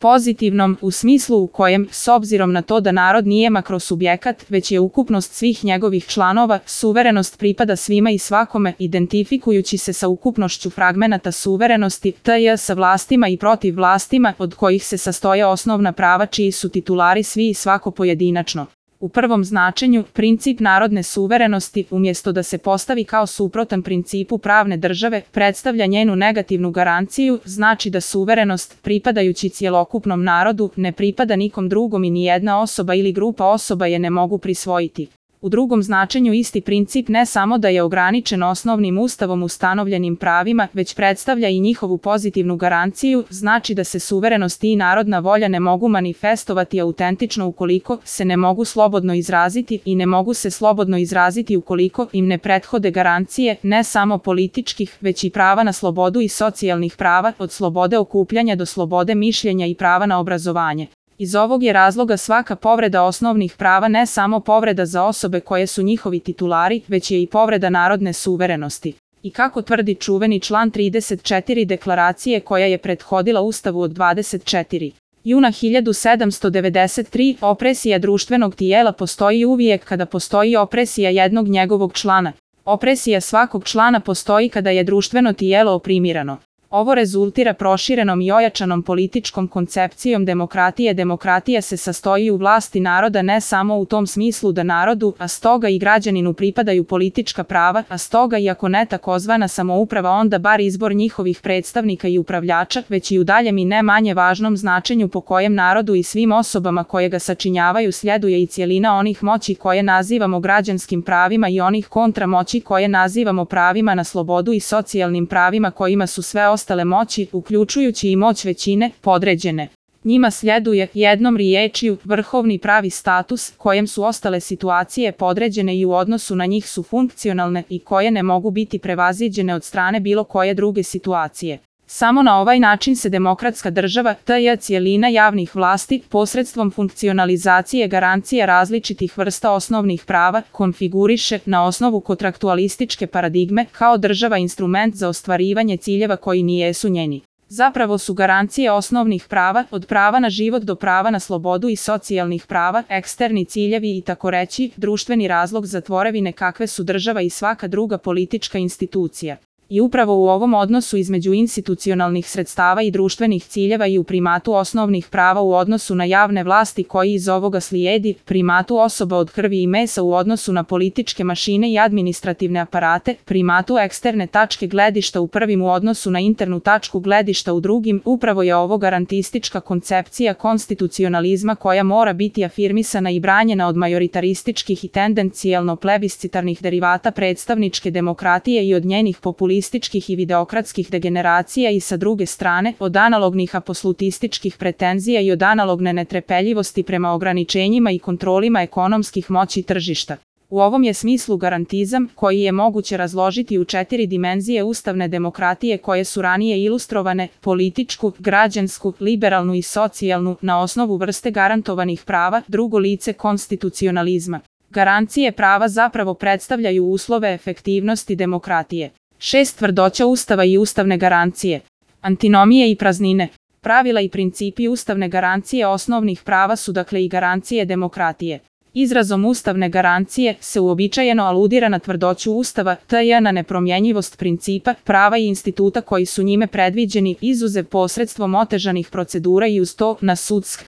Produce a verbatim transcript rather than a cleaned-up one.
pozitivnom u smislu u kojem, s obzirom na to da narod nije makrosubjekat, već je ukupnost svih njegovih članova, suverenost pripada svima i svakome, identifikujući se sa ukupnošću fragmenata suverenosti, tj. sa vlastima i protiv vlastima, od kojih se sastoje osnovna prava čiji su titulari svi i svako pojedinačno. U prvom značenju, princip narodne suverenosti, umjesto da se postavi kao suprotan principu pravne države, predstavlja njenu negativnu garanciju, znači da suverenost, pripadajući cjelokupnom narodu, ne pripada nikom drugom i nijedna osoba ili grupa osoba je ne mogu prisvojiti. U drugom značenju isti princip ne samo da je ograničen osnovnim ustavom ustanovljenim pravima, već predstavlja i njihovu pozitivnu garanciju, znači da se suverenost i narodna volja ne mogu manifestovati autentično ukoliko se ne mogu slobodno izraziti i ne mogu se slobodno izraziti ukoliko im ne prethode garancije, ne samo političkih, već i prava na slobodu i socijalnih prava, od slobode okupljanja do slobode mišljenja i prava na obrazovanje. Iz ovog je razloga svaka povreda osnovnih prava ne samo povreda za osobe koje su njihovi titulari, već je i povreda narodne suverenosti. I kako tvrdi čuveni član trideset četiri deklaracije koja je prethodila Ustavu od dvadeset četiri juna hiljadu sedamsto devedeset tri, opresija društvenog tijela postoji uvijek kada postoji opresija jednog njegovog člana. Opresija svakog člana postoji kada je društveno tijelo oprimirano. Ovo rezultira proširenom i ojačanom političkom koncepcijom demokratije. Demokratija se sastoji u vlasti naroda ne samo u tom smislu da narodu, a stoga i građaninu pripadaju politička prava, a stoga i ako ne takozvana samouprava onda bar izbor njihovih predstavnika i upravljača, već i u daljem i ne manje važnom značenju po kojem narodu i svim osobama koje ga sačinjavaju sljeduje i cjelina onih moći koje nazivamo građanskim pravima i onih kontramoći koje nazivamo pravima na slobodu i socijalnim pravima kojima su sve ostale moći, uključujući i moć većine, podređene. Njima sljeduje, jednom riječju, vrhovni pravi status, kojem su ostale situacije podređene i u odnosu na njih su funkcionalne i koje ne mogu biti prevaziđene od strane bilo koje druge situacije. Samo na ovaj način se demokratska država, tj. cjelina javnih vlasti, posredstvom funkcionalizacije garancija različitih vrsta osnovnih prava, konfiguriše na osnovu kontraktualističke paradigme kao država instrument za ostvarivanje ciljeva koji nijesu njeni. Zapravo su garancije osnovnih prava, od prava na život do prava na slobodu i socijalnih prava, eksterni ciljevi i tako reći, društveni razlog za tvorevine kakve su država i svaka druga politička institucija. I upravo u ovom odnosu između institucionalnih sredstava i društvenih ciljeva i u primatu osnovnih prava u odnosu na javne vlasti koji iz ovoga slijedi, primatu osoba od krvi i mesa u odnosu na političke mašine i administrativne aparate, primatu eksterne tačke gledišta u prvim u odnosu na internu tačku gledišta u drugim, upravo je ovo garantistička koncepcija konstitucionalizma koja mora biti afirmisana i branjena od majoritarističkih i tendencijalno plebiscitarnih derivata predstavničke demokratije i od njenih populističkih i videokratskih degeneracija i sa druge strane, od analognih apsolutističkih pretenzija i od analogne netrpeljivosti prema ograničenjima i kontrolima ekonomskih moći tržišta. U ovom je smislu garantizam, koji je moguće razložiti u četiri dimenzije ustavne demokratije koje su ranije ilustrovane, političku, građansku, liberalnu i socijalnu, na osnovu vrste garantovanih prava, drugo lice konstitucionalizma. Garancije prava zapravo predstavljaju uslove efektivnosti demokratije. Šest tvrdoća Ustava i ustavne garancije. Antinomije i praznine. Pravila i principi ustavne garancije osnovnih prava su dakle i garancije demokratije. Izrazom ustavne garancije se uobičajeno aludira na tvrdoću Ustava, tj. na nepromjenjivost principa, prava i instituta koji su njime predviđeni, izuzev posredstvom otežanih procedura i uz to na sudsk